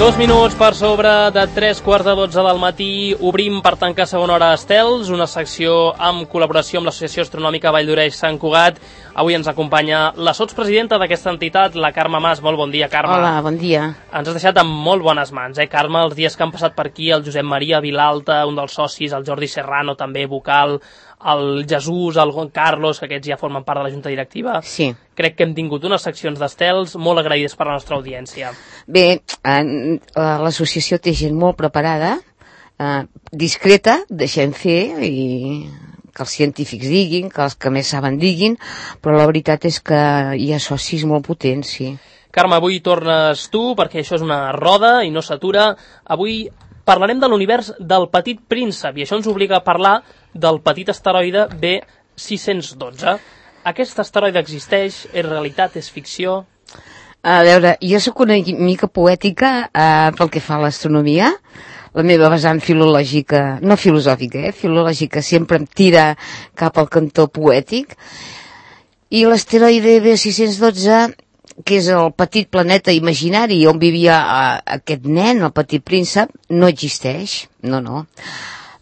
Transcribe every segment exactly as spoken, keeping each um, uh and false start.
Dos minuts per sobre de tres quarts de dotze del matí. Obrim per tancar segona hora Estels, una secció amb col·laboració amb l'Associació Astronòmica Vall d'Oreix Sant Cugat. Avui ens acompanya la sotspresidenta d'aquesta entitat, la Carme Mas. Molt bon dia, Carme. Hola, bon dia. Ens has deixat amb molt bones mans, eh, Carme? Els dies que han passat per aquí, el Josep Maria Vilalta, un dels socis, el Jordi Serrano, també vocal, el Jesús, el Carlos, que aquests ja formen part de la Junta Directiva. Sí. Crec que hem tingut unes seccions d'estels molt agraïdes per la nostra audiència. Bé, eh, l'associació té gent molt preparada, eh, discreta, deixem fer, i que els científics diguin, que els que més saben diguin, però la veritat és que hi ha socis molt potents, sí. Carme, avui tornes tu, perquè això és una roda i no s'atura. Avui parlarem de l'univers del Petit Príncep, i això ens obliga a parlar del petit asteroide B sis cents dotze. Aquest asteroide existeix? És realitat? És ficció? A veure, jo sóc una mica poètica eh, pel que fa a l'astronomia. La meva vessant filològica, no filosòfica, eh, filològica, sempre em tira cap al cantó poètic. I l'asteroide B sis cents dotze, que és el petit planeta imaginari on vivia eh, aquest nen, el Petit Príncep, no existeix, no, no.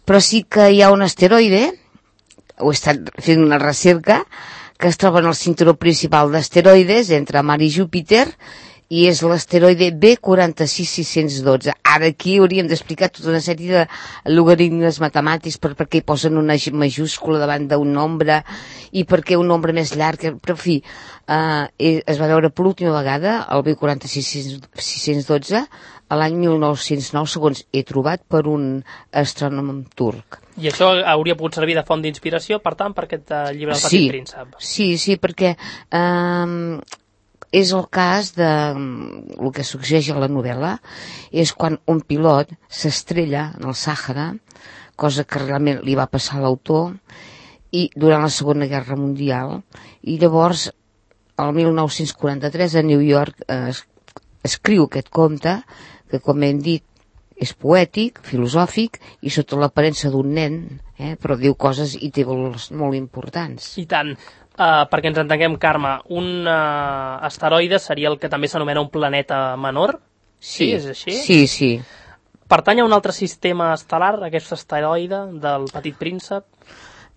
Però sí que hi ha un asteroide, ho he estat fent una recerca, que es troba en el cinturó principal d'asteroides entre Mart i Júpiter, i és l'asteroide B quatre sis sis cents dotze. Ara aquí hauríem d'explicar tota una sèrie de logaritmes matemàtics per, per què hi posen una majúscula davant d'un nombre i per què un nombre més llarg, però en fi, eh, es va veure per l'última vegada el B quatre sis sis cents dotze a l'any mil nou-cents nou, segons he trobat per un astrònom turc. I això hauria pogut servir de font d'inspiració, per tant, per aquest uh, llibre del Petit sí, Príncep. Sí, sí, perquè eh, és el cas de el que succeeix a la novel·la, és quan un pilot s'estrella en el Sàhara, cosa que realment li va passar a l'autor, i durant la Segona Guerra Mundial, i llavors, el mil nou-cents quaranta-tres, a New York, eh, es, escriu aquest conte, que com hem dit, és poètic, filosòfic, i sota l'aparença d'un nen, eh, però diu coses i té valors molt importants. I tant. Uh, perquè ens entenguem, Carme, un uh, asteroide seria el que també s'anomena un planeta menor? Sí, sí, és així? Sí, sí. Pertany a un altre sistema estel·lar, aquest asteroide del Petit Príncep?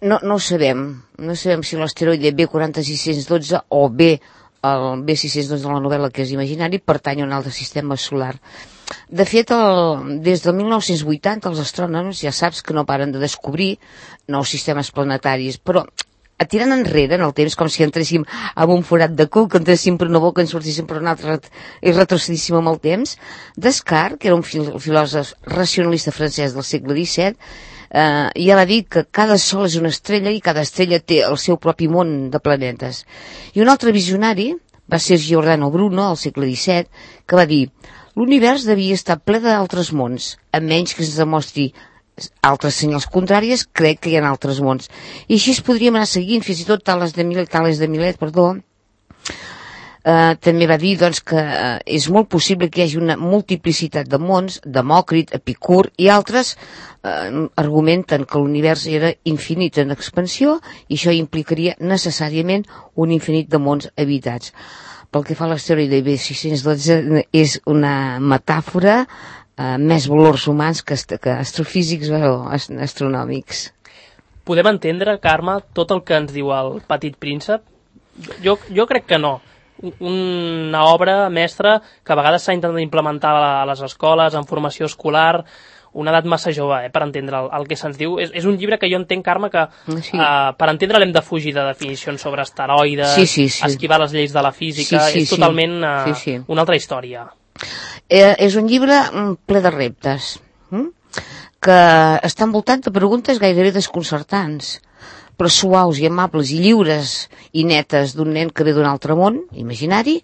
No, no ho sabem. No sabem si l'asteroide B quatre sis cents dotze o B, el B sis cents dotze de la novel·la, que és imaginari, pertany a un altre sistema solar. De fet, el, des del mil nou-cents vuitanta els astrònoms ja saps que no paren de descobrir nous sistemes planetaris, però tirant enrere en el temps, com si entréssim en un forat de cul, que entréssim per una boca i en sortíssim per una altra i retrocedíssim amb el temps, Descartes, que era un fil filòsof racionalista francès del segle disset, eh, ja va dir que cada sol és una estrella i cada estrella té el seu propi món de planetes. I un altre visionari va ser Giordano Bruno, al segle disset, que va dir: l'univers devia estar ple d'altres mons, a menys que es demostri altres senyals contràries, crec que hi ha altres mons. I així es podríem anar seguint, fins i tot Tales de Milet, Tales de Milet, perdó, eh, també va dir doncs, que eh, és molt possible que hi hagi una multiplicitat de mons. Demòcrit, Epicur i altres eh, argumenten que l'univers era infinit en expansió i això implicaria necessàriament un infinit de mons habitats. Pel que fa a l'asteroide B sis cents dotze, és una metàfora, Uh, més valors humans que, est que astrofísics o ast astronòmics. Podem entendre, Carme, tot el que ens diu el Petit Príncep? Jo, jo crec que no. Una obra mestra que a vegades s'ha intentat implementar a les escoles, en formació escolar, una edat massa jove, eh, per entendre el, el que se'ns diu. És, és un llibre que jo entenc, Carme, que sí. uh, per entendre l'hem de fugir de definicions sobre asteroides, sí, sí, sí. esquivar les lleis de la física, sí, sí, és totalment uh, sí, sí. una altra història. Eh, és un llibre ple de reptes, hm? que està envoltat de preguntes gairebé desconcertants, però suaus i amables i lliures i netes d'un nen que ve d'un altre món imaginari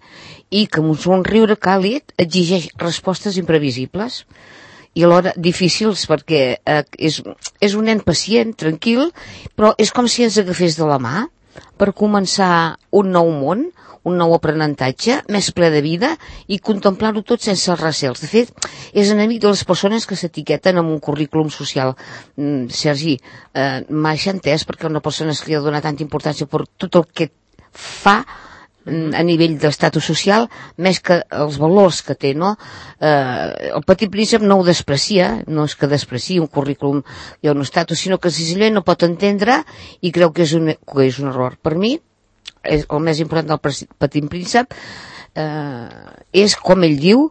i que amb un somriure càlid exigeix respostes imprevisibles i alhora difícils, perquè eh, és, és un nen pacient, tranquil, però és com si ens agafés de la mà per començar un nou món, un nou aprenentatge, més ple de vida, i contemplar-ho tot sense recels. De fet, és enemic de les persones que s'etiqueten amb un currículum social. Mm, Sergi, eh, m'ha entès perquè una persona que li ha donat tanta importància per tot el que fa a nivell d'estatus social, més que els valors que té, no? Eh, el Petit Príncep no ho desprecia, no és que despreciï un currículum i un estatus, sinó que senzillament no pot entendre i creu que és un, que és un error. Per mi, és el més important del Petit Príncep eh, és, com ell diu,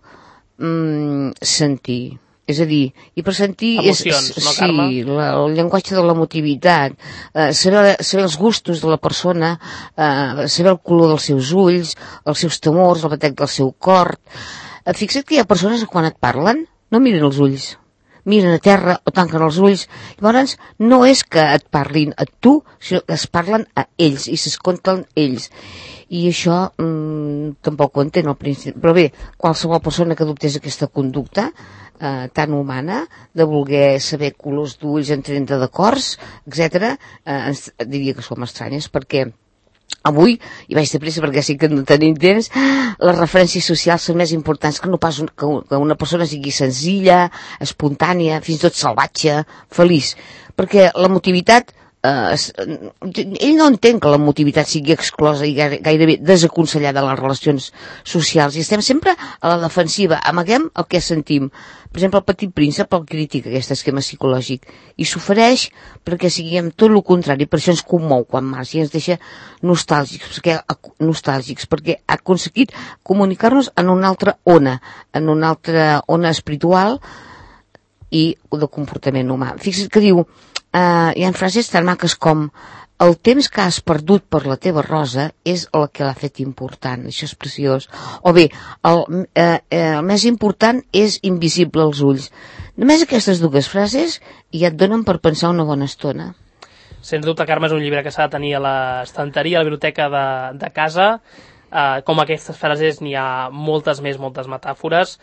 mm, sentir. És a dir, i per sentir... Emocions, és, no, Carme? Sí, la, el llenguatge de l'emotivitat, eh, saber, saber els gustos de la persona, eh, saber el color dels seus ulls, els seus temors, el batec del seu cor. Eh, fixa't que hi ha persones que quan et parlen no miren els ulls, miren a terra o tanquen els ulls. Llavors, no és que et parlin a tu, sinó que es parlen a ells i s'escolten ells. I això mmm, tampoc ho entén al principi. Però bé, qualsevol persona que adoptés aquesta conducta eh, tan humana, de voler saber colors d'ulls en trenta d'acords, etcètera, eh, ens diria que som estranyes, perquè avui, i vaig de pressa perquè sí que no tenim temps, les referències socials són més importants que no pas un, que una persona sigui senzilla, espontània, fins i tot salvatge, feliç. Perquè l'emotivitat, eh, ell no entén que l'emotivitat sigui exclosa i gairebé desaconsellada de les relacions socials, i estem sempre a la defensiva, amaguem el que sentim. Per exemple, el Petit Príncep el critica, aquest esquema psicològic, i s'ofereix perquè siguem tot el contrari. Per això ens commou quan marxa i ens deixa nostàlgics, perquè, nostàlgics, perquè ha aconseguit comunicar-nos en una altra ona, en una altra ona espiritual i de comportament humà. Fixa't que diu, eh, hi ha frases tan maques com: el temps que has perdut per la teva rosa és el que l'ha fet important. Això és preciós. O bé, el, eh, el més important és invisible als ulls. Només aquestes dues frases ja et donen per pensar una bona estona. Sens dubte, Carme, és un llibre que s'ha de tenir a l'estanteria, a la biblioteca de, de casa. Eh, com aquestes frases n'hi ha moltes més, moltes metàfores.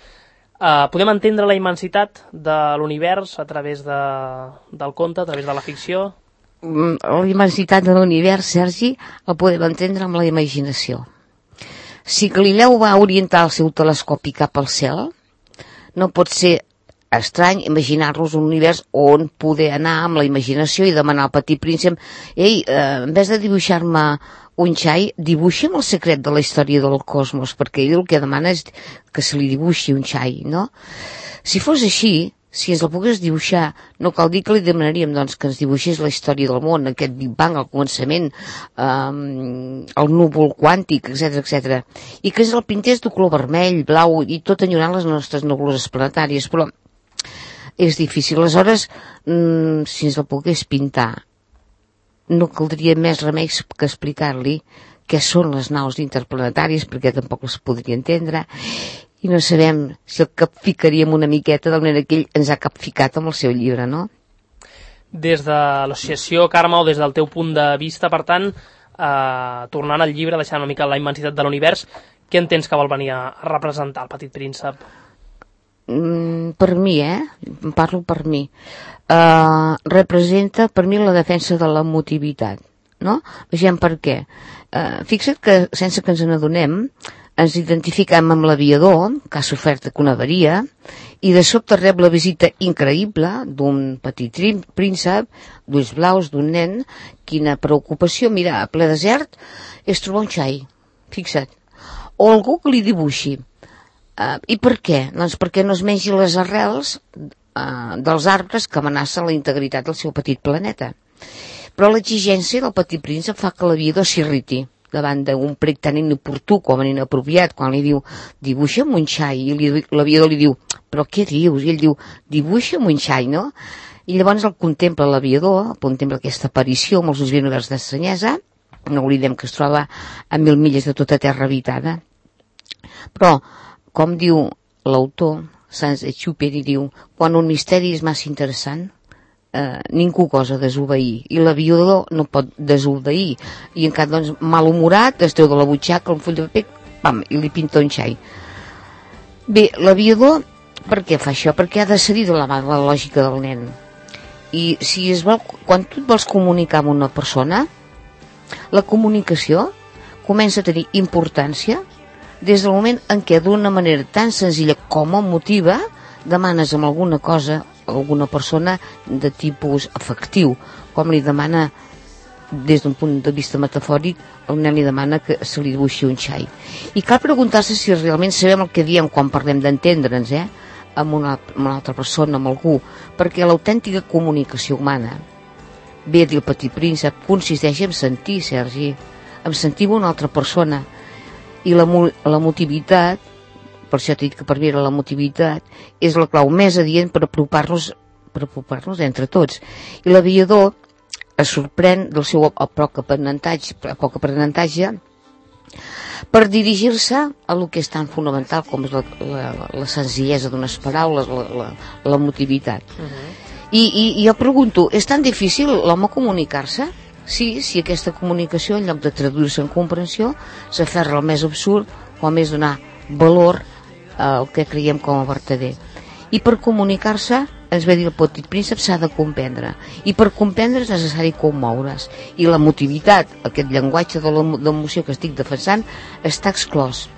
Eh, podem entendre la immensitat de l'univers a través de, del conte, a través de la ficció? La immensitat de l'univers, Sergi, el podem entendre amb la imaginació. Si Galileu va orientar el seu telescopi cap al cel, no pot ser estrany imaginar-nos un univers on poder anar amb la imaginació i demanar al Petit Príncep: ei, eh, en vez de dibuixar-me un xai, dibuixa'm el secret de la història del cosmos, perquè ell el que demana és que se li dibuixi un xai, no? Si fos així, si ens el pogués dibuixar, no cal dir que li demanaríem, doncs, que ens dibuixés la història del món, aquest Big Bang, el començament, um, el núvol quàntic, etcètera, etcètera, i que ens el pintés de color vermell, blau, i tot enyorant les nostres nebuloses planetàries, però és difícil. Aleshores, mm, si ens el pogués pintar, no caldria més remeis que explicar-li què són les naus interplanetàries, perquè tampoc les podria entendre, i no sabem si el capficaríem una miqueta de la manera que ell ens ha capficat amb el seu llibre, no? Des de l'associació, Carme, o des del teu punt de vista, per tant, eh, tornant al llibre, deixant una mica la immensitat de l'univers, què entens que vol venir a representar el Petit Príncep? Mm, per mi, eh? Parlo per mi. Uh, representa per mi la defensa de l'emotivitat, no? Vegem per què. Uh, fixa't que, sense que ens n'adonem, ens identificam amb l'aviador, que ha sofert una avaria, i de sobte rep la visita increïble d'un petit príncep, d'ulls blaus, d'un nen. Quina preocupació, mira, a ple desert, és trobar un xai, fixa't. O algú que li dibuixi. Uh, I per què? Doncs perquè no es mengi les arrels uh, dels arbres que amenacen la integritat del seu petit planeta. Però l'exigència del Petit Príncep fa que l'aviador s'irriti davant d'un prec tan inoportú com inapropiat, quan li diu dibuixa'm un xai, i l'aviador li diu però què dius? I ell diu dibuixa'm un xai, no? I llavors el contempla l'aviador, contempla aquesta aparició amb els ulls ben oberts d'estranyesa. No oblidem que es troba a mil milles de tota terra habitada. Però, com diu l'autor, Saint-Exupéry, diu, quan un misteri és massa interessant, eh, ningú gosa desobeir, i l'aviador no pot desobeir, i en cap, doncs, malhumorat, es treu de la butxaca un full de paper, pam, i li pinta un xai. Bé, l'aviador, per què fa això? Perquè ha de cedir de la, la lògica del nen. I si es vol, quan tu et vols comunicar amb una persona, la comunicació comença a tenir importància des del moment en què d'una manera tan senzilla com emotiva demanes amb alguna cosa, alguna persona de tipus afectiu, com li demana des d'un punt de vista metafòric, el nen li demana que se li dibuixi un xai. I cal preguntar-se si realment sabem el que diem quan parlem d'entendre'ns, eh? Amb una, amb una altra persona, amb algú, perquè l'autèntica comunicació humana, bé a dir el Petit Príncep, consisteix en sentir, Sergi, en sentir una altra persona, i la, la motivitat, per això t'he dit que per mi era la motivitat, és la clau més adient per apropar-nos per apropar-nos entre tots. I l'aviador es sorprèn del seu poc aprenentatge, poc aprenentatge per dirigir-se a lo que és tan fonamental com és la, la, la senzillesa d'unes paraules, la, la, la motivitat. Uh-huh. I, i, I jo pregunto, és tan difícil l'home comunicar-se? Sí, si aquesta comunicació, en lloc de traduir-se en comprensió, s'aferra al més absurd, o a més donar valor al que creiem com a vertader. I per comunicar-se, ens ve dir el Petit Príncep, s'ha de comprendre. I per comprendre és necessari commoure's. I la motivitat, aquest llenguatge de l'emoció que estic defensant, està exclòs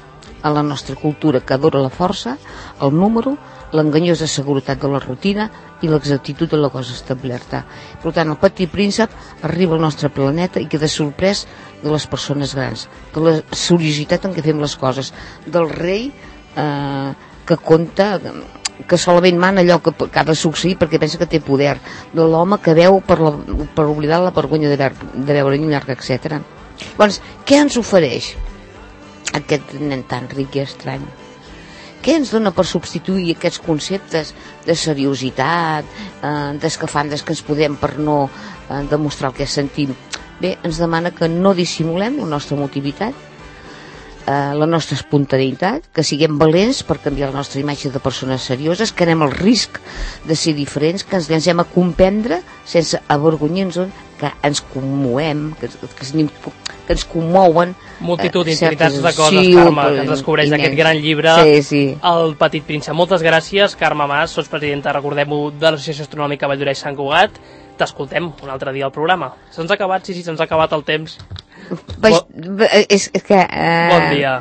en la nostra cultura, que adora la força, el número, l'enganyosa seguretat de la rutina i l'exactitud de la cosa establerta. Per tant, el Petit Príncep arriba al nostre planeta i queda sorprès de les persones grans, de la seriositat en què fem les coses, del rei eh, que conta, que solament mana allò que, que ha de succeir perquè pensa que té poder, de l'home que veu per, la, per oblidar la vergonya de, veure, de veure un llarg, etcètera. Llavors, què ens ofereix aquest nen tan ric i estrany? Què ens dona per substituir aquests conceptes de seriositat, eh, d'escafandes que ens podem per no eh, demostrar el que sentim? Bé, ens demana que no dissimulem la nostra motivitat, eh, la nostra espontaneïtat, que siguem valents per canviar la nostra imatge de persones serioses, que anem al risc de ser diferents, que ens llancem a comprendre sense avergonyir-nos, que ens commoem, que, que, que ens commouen. Multitud d'infinitats de coses, sí, Carme, que ens descobreix aquest gran llibre, sí, sí. El Petit Príncep. Moltes gràcies, Carme Mas, sots presidenta, recordem-ho, de l'Associació Astronòmica Valldoreix Sant Cugat. T'escoltem un altre dia al programa. Se'ns ha acabat, sí, sí, se'ns ha acabat el temps. Baix, bon, és, és que, uh, bon dia.